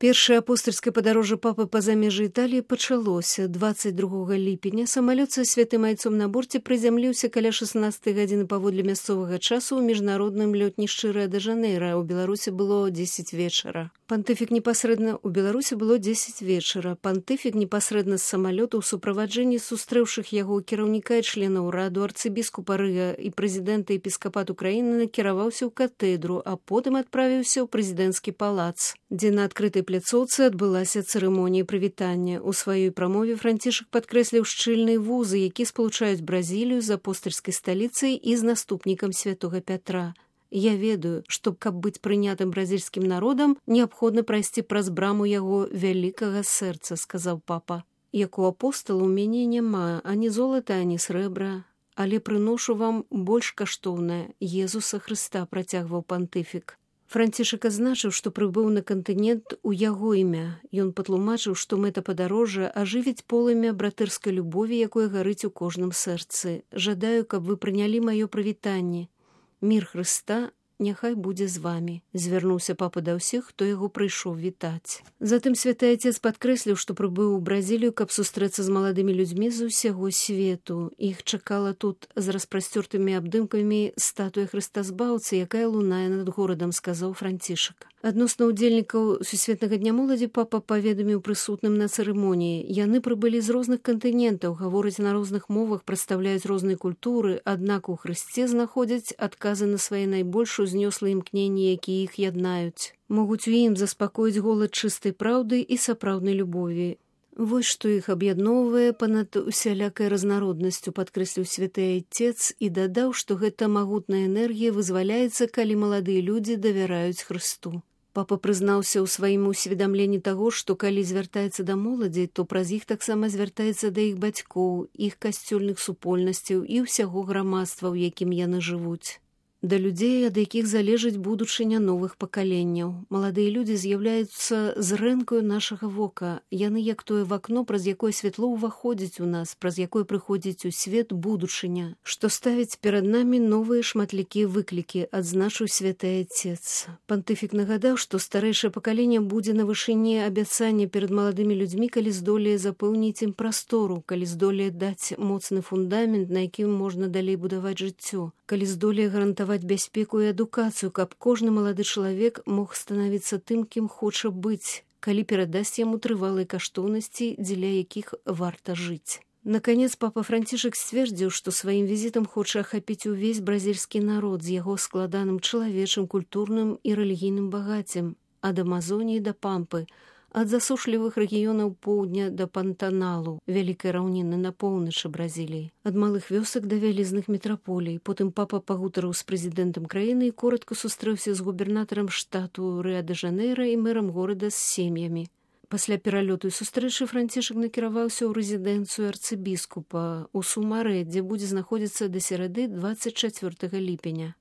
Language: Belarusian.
Першае апостальскае падарожжа папы па замежжы Італіі пачалося 22 ліпеня. Самалёт са святым айцом на борце прызямліўся каля 16 гадзіны паводле мясцовага часу ў міжнародным лётнішчы Рыа-дэ-Жанэйра. У Беларусі было 10 вечара. Пантыфік непасрэдна з самалёту ў суправаджэнні сустрэўшых яго кіраўніка і членаў раду арцыбіскупа Рыа і прэзідэнта епіскапату краіны накіраваўся ў катэдру, а потым адправіўся ў прэзідэнцкі палац, дзе на адкрытай пляцоўцы адбылася цырымонія прывітання. У сваёй прамове Францішак падкрэсліў шчыльныя вузы, які спалучаюць Бразілію з апостальскай сталіцай і з наступнікам святога Пятра. «Я ведаю, што, каб быць прынятым бразільскім народам, неабходна прайсці праз браму яго вялікага сэрца», – сказаў папа. «Як у апостала ў мяне няма ані золата, ані срэбра, але прыношу вам больш каштоўнае – Езуса Хрыста», – працягваў пантыфік. Францішак азначыў, што прыбыў на кантынент у яго імя. Ён патлумачыў, што мэта падарожжа ажывіць полымя братырскай любові, якое гарыць у кожным сэрцы. «Жадаю, каб вы прынялі маё прывітанне. Мір Хрыста няхай будзе з вамі», – звярнуўся папа да ўсіх, хто яго прыйшоў вітаць. Затым святы айцец падкрэсліў, што прыбыў у Бразілію, каб сустрэцца з маладымі людзьмі з усяго свету. Іх чакала тут з распрасцёртымі абдымкамі статуя Хрыста Збаўцы, якая лунае над горадам, сказаў Францішак. Адносна ўдзельнікаў Сусветнага дня моладзі папа паведаміў прысутным на цырымоніі. Яны прыбылі з розных кантынентаў, гавораць на розных мовах, прадстаўляюць розныя культуры, аднак у Хрысце знаходзяць адказы на свае найбольш узнёслыя імкненні, якія іх яднаюць. Могуць у ім заспакоіць голад чыстай праўды і сапраўднай любові. Вось што іх аб'ядноўвае панад усялякай разнароднасцю, падкрэсліў святы айцец і дадаў, што гэта магутная энергія вызваляецца, калі маладыя людзі давяраюць Хрысту. Папа прызнаўся ў сваім усведамленні таго, што калі звяртаецца да моладзі, то праз іх таксама звяртаецца да іх бацькоў, іх касцёльных супольнасцяў і ўсяго грамадства, у якім яны жывуць. Да людзей, ад якіх залежыць будучыня новых пакаленняў. Маладыя людзі з'яўляюцца зрэнкаю нашага вока. Яны як тое вакно, праз якое святло ўваходзіць у нас, праз якое прыходзіць у свет будучыня, што ставіць перад намі новыя шматлікія выклікі, адзначыў святы айцец. Пантыфік нагадаў, што старэйшае пакаленне будзе на вышыні абяцання перад маладымі людзьмі, калі здолее запэўніць ім прастору, калі здолее даць моцны фундамент, на якім можна далей будаваць жыццё, калі здолее гарантаваць бяспеку і адукацыю, каб кожны малады чалавек мог станавіцца тым, кім хоча быць, калі перадасць яму трывалыя каштоўнасці, дзеля якіх варта жыць. Наканец, папа Францішак сцвердзіў, што сваім візітам хоча ахапіць увесь бразільскі народ з яго складаным чалавечым, культурным і рэлігійным багаццем, ад Амазоніі да Пампы, ад засушлівых рэгіёнаў поўдня да Пантаналу, вялікай раўніны на поўначы Бразіліі, ад малых вёсак да вялізных метраполій. Потым папа пагутарыў з прэзідэнтам краіны і коратка сустрэўся з губернатарам штату Рыа-дэ-Жанэйра і мэрам горада з сем'ямі. Пасля пералёту і сустрэчы Францішак накіраваўся ў рэзідэнцыю арцыбіскупа ў Сумарэ, дзе будзе знаходзіцца да серады 24 ліпеня.